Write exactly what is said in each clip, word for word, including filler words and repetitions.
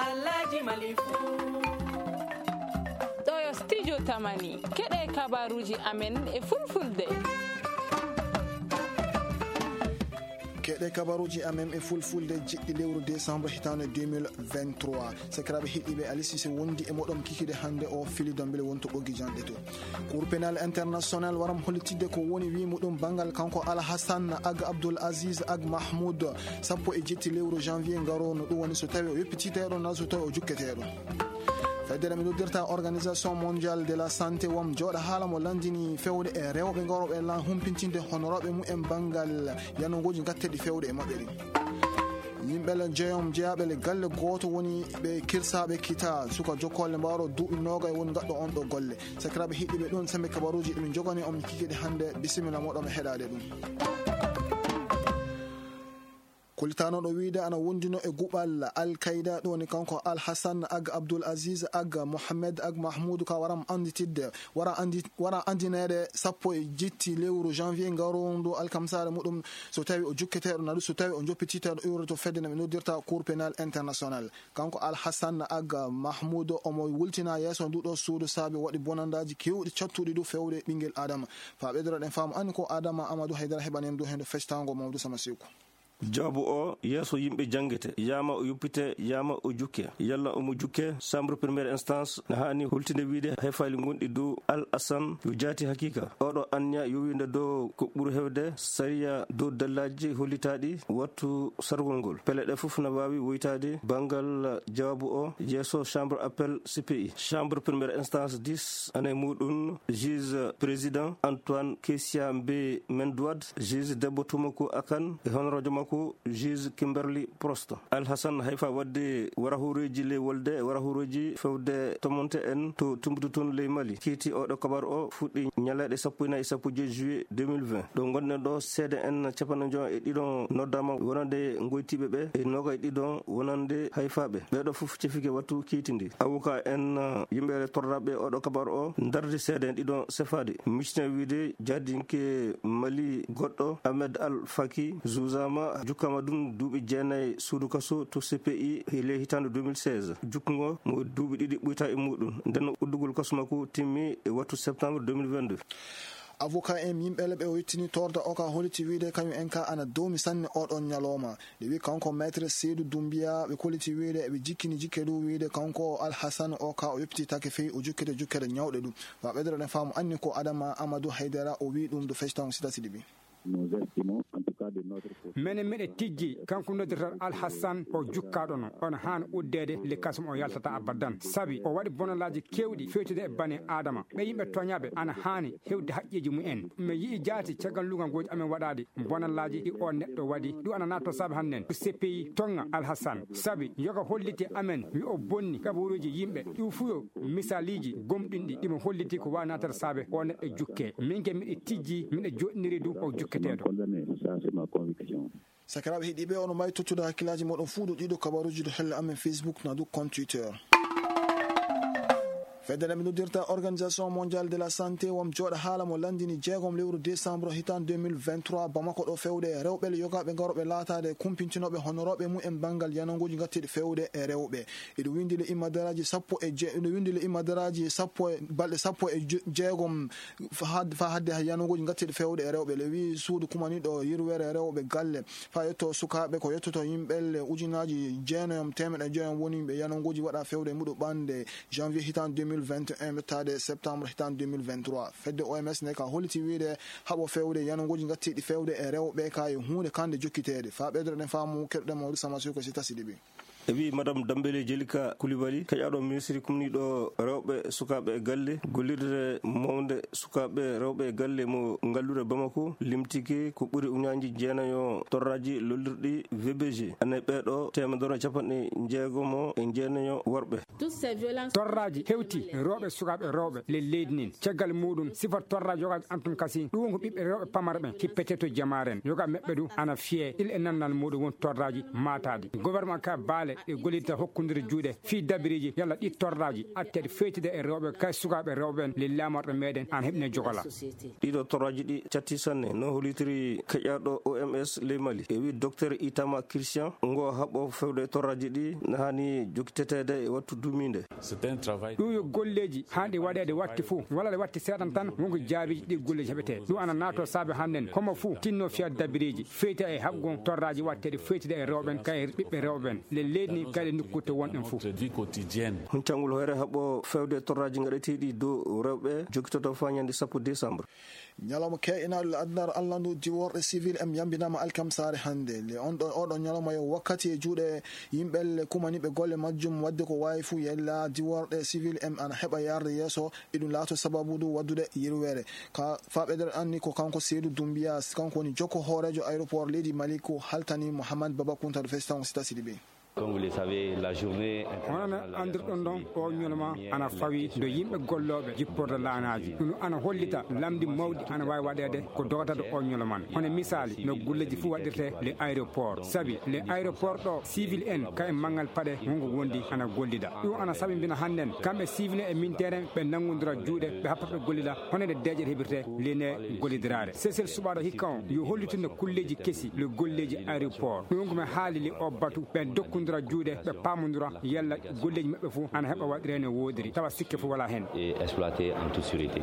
Alhaji Malifu. Ɗo yo studio Tamani. Keɗe kabaruji amen e fulfulde. Keɗe kabaruji amen e fulfulde jiɗɗi lewru décembre hitande deux mille vingt-trois. Sakiraaɓe heɗiiɓe, Aliou Cissé wondi e moɗon kikide hannde o fili dombele wonto ɓoggi janɗe to. Cour pénal international waram hollitidde ko woni wi muɗum banngal kanko Al Hassan Ag Abdoul Aziz Ag Mahmoud sappo e jetti lewru janvier ngaro, no ɗum woni so tawi o yoppititeeɗo na so tawi o jukketeeɗo. Fedde nde mi noddirta Organisation Mondiale de la Santé wam jooɗa haala mo landini fewde e rewɓe ngarooɓe lan humpintinde honorooɓe mumen banngal yanogooji gatteɗi fewde e maɓɓe ɗin. Yimɓe le jeyom jeyaaɓe le galle gooto woni ɓe kirsaaɓe kita suka jokkolle mbaaro duuɓi noogay woni gaɗɗo on ɗo golle. Sakiraaɓe hiɗiɓe ɗon sembe kabaruuji ɗi min jogani on mi kikide hannde, bisimilla moɗon mi heɗaade ɗum. Kulitanoɗo wiide ana wondino e guɓal Al Qaida, ɗum woni kanko Al Hassan Ag Abdul Aziz Ag Mohammed Ag Mahmoud ka waram anditidde, wara andi-, wara andineede sappo e jetti lewru janvier ngarondu alkamsare muɗum, so tawi o jukketeeɗo nadu, so tawi o joppiteeɗo iwre to fedde no ɓe noddirta Cour pénal international. Kanko Al Hassan Ag Mahmoud omo wultina yeeso nduɗo suudu saabi waɗi bonandaji kewɗi cattuɗi du fewde ɓingel Adama. Fa ɓeydoro ɗen faamu anni ko Adama Amadou Haydara heɓani en du hendo festango Mamadou Sama Seku. Jawaabu o yeeso yimɓe janngete, yaama o yuppite, yaama o jukke. Yalla omo jukke, chambre première instance na haani hultinde wiide hay faali gonɗi dow Al Hassan yo jaati hakiika. Oɗo anniya yowinde dow ko ɓuri hewde sariya dow dallaaji hollitaaɗi wattu sargol ngol. Pele ɗe fof na waawi woytaade banngal jawaabu o yeeso chambre appel C P I. Chambre première instance dix, ana e muɗum juge président Antoine Kessia Mbe Mendouad, juge debbo Tumaku Akan e honoraajo makko juge Kimberly Prost. Al Hassan hayfa wadde warahuureeji ley wolde e warahuureeji fewde tomonte en to Timbuktu toon ley Mali. Kiiti oɗo kabar o fuɗɗi ñaleeɗe sappo e nayi e sappo e joy juillet deux mille vingt. Ɗo ngonɗen ɗo, seede en capanɗe joy e ɗiɗon noddaama wonande ngoytiiɓe ɓe e noogay ɗiɗon wonande hayfaaɓe. Ɓeeɗo fof cefike wattu kiiti ndi. Avocat en, uh, yimɓe torraɓe oɗo kabar o ndardi seede en ɗiɗon sefaade. Micne wiide jaadinke Mali goɗɗo Ahmed Al Faki juuzama, jukkama ɗum duuɓi jeenayi suudu kaso to C P I e ley hitaande deux mille seize. Jukkungo mo duuɓi ɗiɗi ɓuyta e muɗum. Nden uddugol kaso makko timmi e wattu septembre deux mille vingt-deux. Avocat en yimɓe le ɓe o yettini torda o ka holiti wiide kañum en ka ana dowmi sanne oɗon ñalawma. Nde wi kanko maître Seydou Doumbia ɓe koliti wiide eɓe jikkini jikke ɗum wiide kanko Al Hassan o ka o yoppititake fey o jukkete jukkere ñawɗe ɗum. Fa ɓeydoro ɗen faamu anni ko Adama Amadou Haydara o wi ɗum do fectaw sita siɗi bi. Nous estimons, en tout cas de notre côté. Menen miɗe tijji kanko noddirta Al Hassan o jukkaɗo no on haana uddeede le kasum o yaltata abadan sabi o waɗi bonalaaji kewɗi fewtude e bani Adama. Ɓe yimɓe toñaɓe ana haani hewde haqqeeji mumen. Mi yi'i jaati caggal lugal gooji amen waɗaade bonalaaji ɗi o neɗɗo waɗi. Ɗum ana natta saabe hannden ko C P I toŋŋa Al Hassan sabi yoga holliti amen wi o bonni kabaruuji yimɓe. Ɗum fuu yo misaaliji gomɗinɗi ɗi mo holliti ko waawi naatata saabe o neɗɗo jukke. Min ke miɗe tijji, miɗe joɗɗiniri du o jukketeeɗo. Condamné, ça c'est ma conviction. Sakiraaɓe heɗiiɓe, ono mbaawi tottude hakkillaaji moɗon fuu ɗo ɗiɗo kabaruuji ɗo helle amen Facebook na du compte Twitter. Fedde nde ɓe noddirta Organisation Mondiale de la Santé wam jooɗa haala mo lanndini jeegom lewru décembre hitaan deux mille vingt-trois Bamako ɗo fewde e rewɓe le yogaaɓe ngarooɓe laataade kumpintinooɓe honorooɓe mum en banngal yananguuji ngattiiɗi fewde e rewɓe. Eɗo winndi le immadaraaji sappo e je-, eɗo winndi le immadaraaji sappo e balɗe sappo e je-, jeegom fa had-, fa hadde yananguuji ngattiiɗi fewde e rewɓe. Le wi suudu kumaniiɗo yirwere rewɓe galle. Faa yetto sukaaɓe, ko yettoto yimɓe le ujunaaji jeenayi teemeɗɗe joyi woni yimɓe yananguuji waɗa fewde muɗo ɓande janvier hitaan deux mille vingt et un ɓettaade septembre hitaan deux mille vingt-trois. Fedde O M S nde ka holliti wiide haɓo fewde yananguuji ngattiiɗi fewde e rewɓe ka e huunde kande jokkiteede. Faa ɓeydoro ɗen faamu keɗoɗen Mamadou Sama Sow ko si tasi ɗiɓi. E wi Madame Dambele Jelika Koulibaly, keƴaɗo ministre kumniiɗo rewɓe, sukaaɓe e galle, gollirde mawnde sukaaɓe rewɓe e galle mo ngallure Bamako limtike ko ɓuri uñaaji jeenayo torraaji lollirɗi V B G. Ane ɓeeɗo teemedere capanɗe jeegomo e jeenayo worɓe. Torraaji hewti rewɓe, sukaaɓe rewɓe le leydi nin. Caggal muɗum, sifat torraaji yogaaɓe antum kasi, ɗum ko ɓiɓɓe rewɓe pamara ɓen kippete to jamaaren. Yoga meɓɓe du ana fiye il e nannal muɗum won torraaji maataɗi. Gouvernement ka baale ɗe gollita hokkundira juuɗe fii dabiriiji yalla ɗi torraaji atteeɗe feytida e rewɓe kay sukaaɓe rewɓe ɓen le laamorɗo meɗen ana heɓina jogola. Ɗiɗo torraaji ɗi catti sanne no hollitiri keƴaɗo oms ley mali e wi docteur itama christian ngo haɓɓo fewde torraaji ɗi na hani jokkiteteede e wattu dumiinde. Ɗum yo golleeji haanɗi waɗeede watti fof walla ɗe watti seeɗan tan wonko jaabiiji ɗi golleeji heɓetee ɗum ana naatoo saabe hannden homo fof tinno fiya dabiriiji feyta e haɓgo torraaji watteeɗe feytida e rewɓen kay ɓiɓɓe rewɓen le leydi ni kayɗe nokkutte wonɗen fof. Huncangol hoyre haɓɓo fewde torraaji gaɗeteeɗi dow rewɓe jokkitoto faa ñande sappo décembre. Ñalawma keeƴinaaɗo le addunaare allandu diworɗe civil em yambinaama alkamsaare hannde le on ɗo oɗo ñalawma yo wakkati e juuɗe yimɓe le kumaniiɓe golle majjum waɗde ko waawi fuu yella diworɗe civil em ana heɓa yarde yeeso. Iɗum laato sababu du waɗdude yirweere ka faa ɓeydere anni ko kanko seedu dumbiya kanko woni jokko hooreejo aéroport leydi mali ko haltani mouhammad baba kunta to festival sita sidibe. Comme vous le savez, la journée hono no anndirɗon ɗon o ñoloma ana fawi do yimɓe gollooɓe jipporde laanaaji ɗum ana hollita lamndi mawɗi ana waawi waɗeede ko dogata do o ñoloman hono misaali no gulleeji fof waɗirte le aéroport sabi le aéroport ɗo civil en ka e manngal paɗe wonko wondi ana gollida ɗum ana sabi mbina hannden kamɓe civil en e militaire en ɓe nanngondira juuɗe ɓe happa ɓe gollida hono nde deeƴere heɓirte line gollidiraare sesel suɓaaɗo hikka on yo hollitinno kulleeji kesi le golleeji aéroport ɗum ko mi haalili o batu ɓe dokkondira juuɗe ɓe paamondira yalla golleeji maɓɓe fof ana heɓa waɗiree no woodiri tawa sikke fof wala heen. Et exploité en toute sûreté.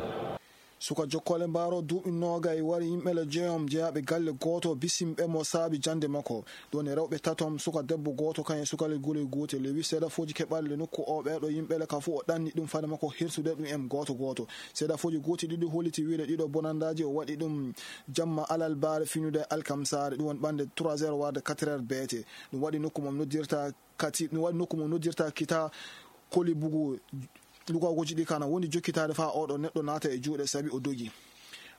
Suka jokkoole mbaaro duuɓi noogay wari yimɓe le jeeyom jeyaaɓe galle gooto bisimɓe mo saabi jannde makko ɗum woni rewɓe tatom suka debbo gooto kañum e sukale guley gootel le wi seedafooji keɓaali le nokku o ɓeeɗo yimɓe le ka fof o ɗanni ɗum fade makko hirsude ɗum en gooto gooto seedafooji gooti ɗiɗi holliti wiide ɗiɗo bonandaaji o waɗi ɗum jamma alalbaare finude alkamsaare ɗum woni ɓannde trois heures warde quatre heures beete ɗum waɗi nokku mo noddirta kati ɗum waɗi nokku mo noddirta kita koli bugu lugagooji ɗi kana woni jokkitaade faa oɗo neɗɗo naata e juuɗe sabi o dogi.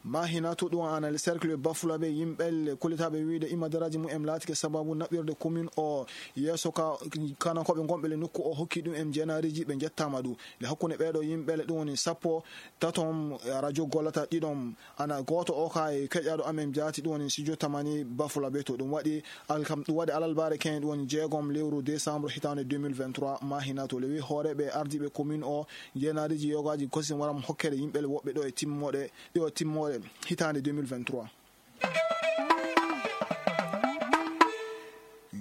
Mahina to ɗum ana le cercle bafulaɓe yimɓe le kollitaaɓe wiide imadaraaji mum en laatike sababu naɓirde commune o yeeso ka kanankooɓe ngonɓe le nokku o hokki ɗum en jeenaariiji ɓe njettaama ɗum le hakkunde ɓeeɗo yimɓe le ɗum woni sappo tatom radio gollata ɗiɗom ana gooto o ka e keƴaɗo amen jaati ɗum woni studio tamani bafula ɓe to ɗum waɗi alkam ɗum waɗi alalbaare keñe ɗum woni jeegom lewru décembre hitaande deux mille vingt-trois mahina to lewi hooreɓe ardiɓe commune o jeenaariji yogaji kosi waram hokkere yimɓe woɓɓe ɗo e timmoɗe ɗo e timmoɗe hitaande deux mille vingt-trois.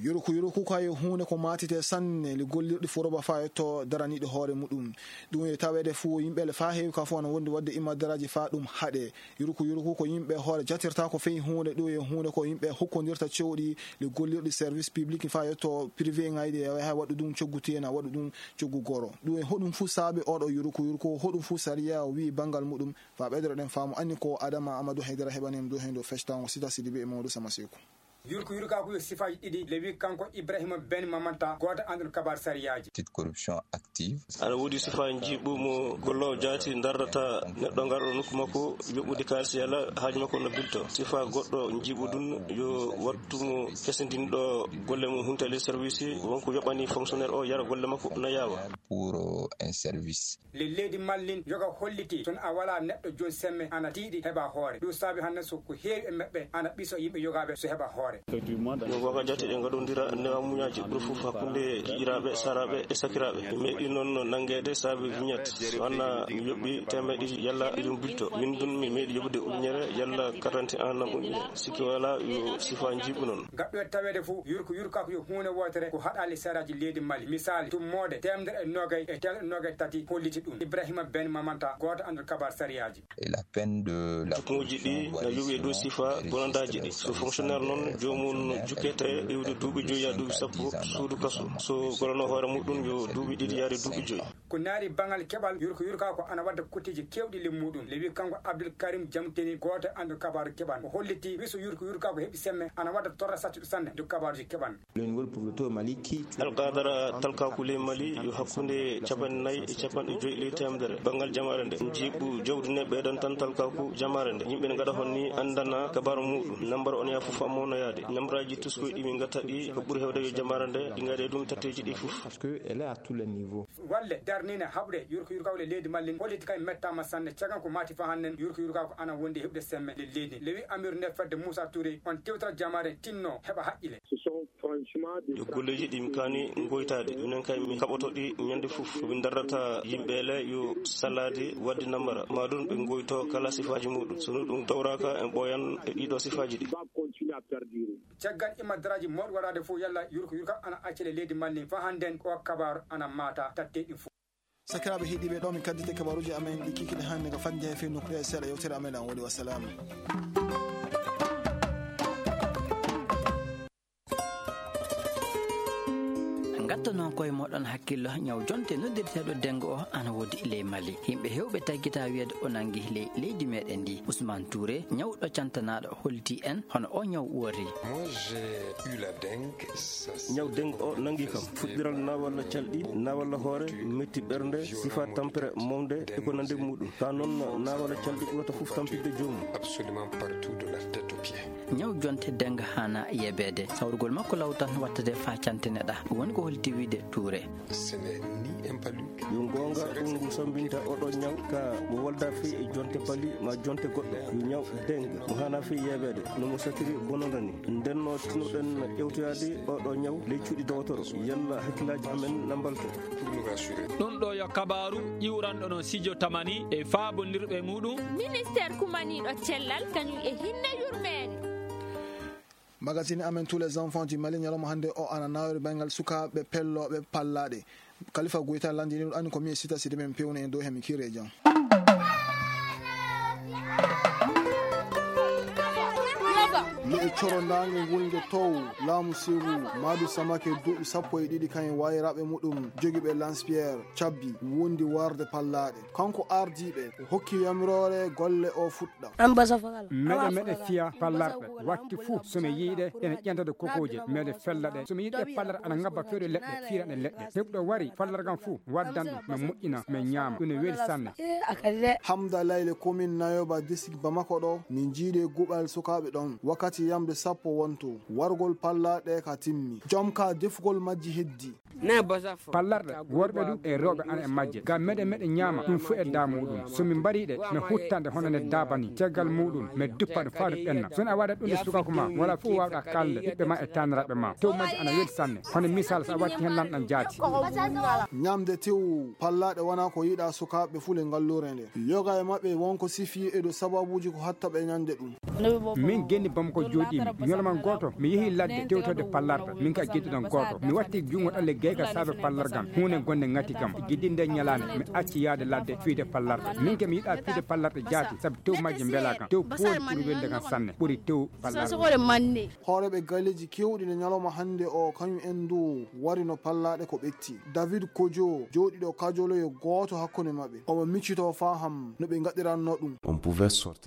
Yuruku yuruku kayo huunde ko maatite sanne le gollirɗi foroba faa yetto daraniiɗo hoore muɗum. Ɗum e taweede fuu yimɓe le faa heewi ka fuu ana wondi waɗde imadaraaji faa ɗum haɗe. Yuruku yuruku ko yimɓe hoore jatirta ko fey huunde ɗum e huunde ko yimɓe hokkondirta cewɗi le gollirɗi service public faa yetto privé ŋayde e hay waɗu ɗum coggu teena waɗu ɗum coggu goro. Ɗum e hoɗum fuu saabe oɗo yuruku yuruku hoɗum fuu sariya o wii banngal muɗum. Faa ɓeydoro ɗen faamu anni ko adama amadou haydara heɓani em dow heen dow fectango sita sidi be e mawɗo sama seeku. Yurko yurkaaku yo sifaaji ɗiɗi le wi kanko ibrahima ben mamanta gooto anndon kabaar sariyaaji. Petite corruption active. Ana woodi sifaa njiiɓu mo golloowo jaati ndardata neɗɗo ngarɗo nokku makko yoɓɓude kaalis yala haaju makko no bilto sifaa goɗɗo njiiɓu ɗum yo wattu mo kesindinɗo golle mum huntali service wonko yoɓani fonctionnaire o yara golle makko no yaawa. Pour un service. Le leydi mallin yoga holliti son a wala neɗɗo jon semme ana tiiɗi heɓa hoore ɗum saabi hannde so ko heewi e maɓɓe ana ɓiso yimɓe yogaɓe so heɓa hoore. Ɗum waga jate ɗe gaɗodira newa muñaji ɓuri fof hakkunde giƴiraɓe saraɓe e sakiraɓe mi meeɗi noon nangede saabi vignette wanna mi yoɓɓi temeɗe ɗiɗi yalla ɗum bilto min dun mi meeɗi yoɓude ujunere yalla quarante en nam ujunere sikki wala yo sifa jiɓu noon. Gaɗɗo e taweede fof yurko yurkako yo huunde wootere ko haɗaali saraaji leydi mali misaali tummoode temedere e nogay e temedere nogay tati holliti ɗum ibrahima ben mamanta gooto anndal kabar sariyaaji. Jukkuuji ɗi na yowi e dow sifa bonandaaji ɗi so fonctionnaire noon joomum jukkete iwde duuɓi joyi yaa duuɓi sappo suudu kaso so golano hoore muɗum yo duuɓi ɗiɗi yaade duuɓi joyi. Ko naari baŋal keɓal yurko yurka ko ana wadda kutteeji keewɗi le muɗum le wi kanko abdul karim jamteni gooto anndo kabaaru keɓan o holliti wiso yurko yurka ko heɓi semme ana wadda torra sattuɗo sanne nde kabaaruji keɓan. Alkadara talkaku ley mali yo hakkunde capanɗe nayi e capanɗe joyi ley temedere banngal jamaare nde jiiɓu jawdi ne ɓeydan tan talkaku jamaare nde yimɓe ne gaɗa honni anndana kabaru muɗum nambar on ya fof ammo no yaade. Nambaraaji tuskoy ɗi min ngatta ɗi ko ɓuri heewde yo jamaare nde ɗi ngaɗe ɗum tatteeji ɗi fof. Parce que elle est à tous les niveaux. Walle darnine haɓre yurko yurkawle leydi Mali holliti kay mettaama sanne caggal ko mati fa hannden yurko yurka ko ana wondi heɓde semme le leydi lewi amir nde fedde Moussa Touré on tewtata jamaare tinno heɓa haqqile. Ce sont franchement des yo golleeji ɗi mi kaani ngoytaade minen kay mi kaɓoto ɗi ñande fof ko min darrata yimɓe le yo salaade wadde nambara ma ɗum ɓe ngoyto kala sifaaji muɗum sono ɗum dawraka en ɓooyan e ɗiɗo sifaaji ɗi. Caggal imadaraaji mawɗi waɗaade fof yalla yurko yurka ana accele leydi Mali fa hannden o kabaar ana maata tatte ɗi fof. Sakiraaɓe heɗiiɓe ɗo min kaddite kabaruuji amen ɗi kikiɗe hannde ko fadde he fii nokkuya e seeɗa yewtere amen an woni wassalaamu. Ngatto noon koye moɗon hakkillo ñaw jonte noddirteeɗo dengo o ana woodi ley Mali yimɓe hewɓe taggita wiyeede o nangi ley leydi meɗen ndi Ousmane Touré ñawɗo cantanaaɗo holti en hono o ñaw wori. Moi j'ai eu la dengue. Ñaw dengue o nangi kam fuɗɗiral nawalla calɗi nawalla hoore metti ɓernde sifa tampere mawde e ko nande muɗum ka noon nawalla calɗi ɓurata fof tampidde joomum. Absolument partout de la tête aux pieds. Ñaw jonte dengue hana yebeede sawrugol makko law tan wattade fa cantineɗa woni ko holti wiide Touré. Yo goonga ɗum ngu sambinta oɗo ñaw ka mo walda fii e jonte pali ma jonte goɗɗo yo ñaw dengue mo hana fii yebeede no mo satiri bononda ni ndenno tinoɗen ƴewtoyaade oɗo ñaw ley cuuɗi dowotoro yalla hakkillaaji amen na mbalto. Ɗum ɗo yo kabaaru ƴiwranɗo no sijo tamani e faabondirɓe muɗum. Ministeer kumaniiɗo cellal kañum e hinnde yurmeende. Magazine amen tous les enfants du Mali ñalawma hannde o ana nawori banngal sukaaɓe pellooɓe pallaaɗe. Kalifa Goyta lanndini ɗum anni ko mi e sita sidi men pewno en dow hemi kire jam. Leɗe coro ndaange wulnge tow laamu siru maadu samake duuɓi sappo e ɗiɗi kañum wayraɓe muɗum jogiɓe lanspierre cabbi wondi warde pallaaɗe. Kanko ardiiɓe o hokki yamiroore golle o fuɗɗa. Meɗe meɗe fiya pallarɗe watti fuu so mi yiiɗe ene ƴentade kokooje meɗe fella ɗe so mi yiiɗe pallarɗe ana ngabba fewde leɗɗe fiiraɗe leɗɗe heɓɗo wari pallargam fuu waddan ɗum mi moƴƴina mi ñaama ɗum ne weli sanne. Hamda layle komin nayoba district bamako ɗo min jiiɗe guɓal sukaaɓe ɗon wakkati yamde sappo wonto wargol pallaɗe ka timmi jom ka defugol majji heddi. Pallarɗe worɓe ɗum e rewɓe ana e majje ngam meɗe meɗe ñaama ɗum fof e da muɗum so min mbari ɗe mi huttande hono nde daaba ni caggal muɗum mi duppa ɗum faa ɗum ɓenna so a waɗat ɗum e sukaku ma wala fof wawɗa kalde ɓiɓɓe ma e taniraɓe ma tew majje ana weli sanne hono misal so a watti hen lanɗan jaati. Ñamde tew pallaɗe wona ko yiɗa sukaɓe fule ngallure nde yoga e maɓɓe wonko sifi e ɗo sababuji ko hatta ɓe ñande ɗum. Min genni bamako jooɗimi ñoloma gooto mi yeehi ladde tewtorde pallarɗe min ka gedduɗam gooto mi watti junngo ɗalle gayka saabe pallargam huunde gonde ngati kam giddi nde ñalaande mi acci yahde ladde fiyde pallarɗe min ke mi yiɗa fiyde pallarɗe jaati sabu tew majje mbela kam tew pooli ɓuri welde kam sanne ɓuri tew pallarɗe. Hooreeɓe galleeji keewɗi nde ñalawma hannde o kañum en ndu warino pallaɗe ko ɓetti david kojo jooɗiɗo kajoloyo gooto hakkunde maɓɓe omo miccito faham no ɓe ngaɗiranno ɗum.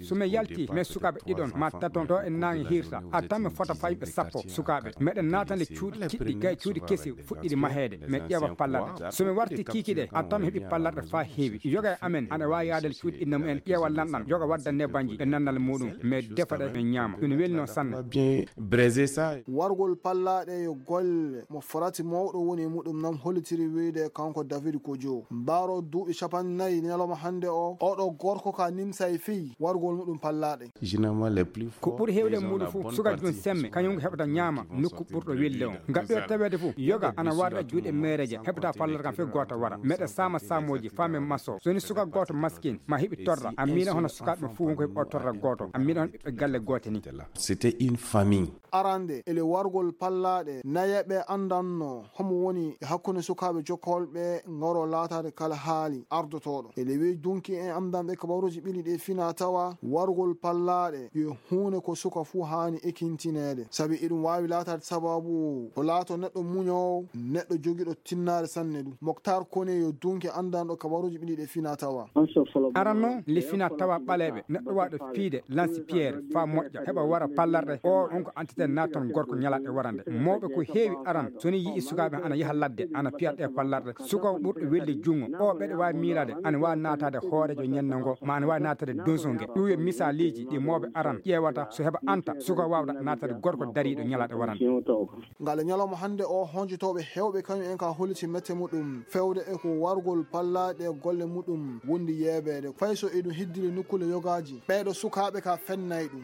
So mi yalti mi e sukaaɓe ɗiɗon ma taton ɗo e naange hirta a tan mi fota fayɓe sappo sukaaɓe meɗen naatande cuuɗi kiɗɗi gay cuuɗi kesi fuɗɗiɗi maheede mi ƴeewa pallarɗe so mi warti kiikiɗe a tan mi heɓi pallarɗe faa heewi yoga e amen ana waawi yaadal cuuɗi inna mumen ƴeewa lanɗan yoga wadda nebanji e nannal muɗum mi defa ɗe mi ñaama ɗum welino sanne. Wargol pallaɗe yo golle mo farati mawɗo woni e muɗum nam hollitiri wiyde kanko david kojo mbaaro duuɓi capanɗe nayi ñalawma hannde o oɗo gorko ka nimsa e fii wargol muɗum pallaɗe. Ko ɓuri heewde e muuɗum fof sukaajo jom semme kañum ko heɓata ñaama nokku ɓurɗo welde on ngal ɗo taweede fof yoga ana warda juuɗe meereeje heɓata palloto kam fof gooto wara meɗa saama saamooji faamen maso so woni suka gooto maskin ma heɓi torra a miina hono sukaaɓe fof wonko heɓi o torra gooto a miina hono ɓiɓɓe galle goote ni. C'était une famille. Arande ele wargol pallaɗe nayeɓe andanno homo woni e hakkunde sukaaɓe jokkolɓe ngaro laatade kala haali ardotoɗo ele weyi dunki en amdanɓe kabaruji ɓili ɗe fina tawa wargol pallaɗe yo huunde ko suka fuu haani ekintineede sabi eɗum waawi laataade sababu o laato neɗɗo muñoowo neɗɗo neɗɗo jogiiɗo tinnaare sanne ɗum. Moktar Kone yo dunke anndanɗo kabaruuji ɓiɗi ɗe fina tawa. Aran noon, le fina tawa ɓaleeɓe, neɗɗo waaɗo piide lansi piyeere faa moƴƴa, heɓa wara pallarɗe. O, on ko antite naatan gorko ñalaaɗe warande. Mawɓe ko heewi aran, so ni yi'i sukaaɓe ana yaha ladde, ana piya ɗe pallarɗe. Suka ɓurɗo welde junngo, o ɓeɗe waawi miilaade, ana waawi naataade hooreejo ñande ngo, ma ana waawi naataade donso nge. Ɗum yo misaaliji ɗi mawɓe aran ƴeewata, so heɓa anta, suka waawda naataade gorko dariiɗo ñalaaɗe warande. Ngale ñalawma hannde o, honjotooɓe heewɓe kañum en ka holliti mette muɗum, fewde e ko wargol pallaaɗe golle muɗum wondi yeebeede, fay so eɗum hiddiri nokkuule yogaaji. Ɓeeɗo sukaaɓe ka fennay ɗum.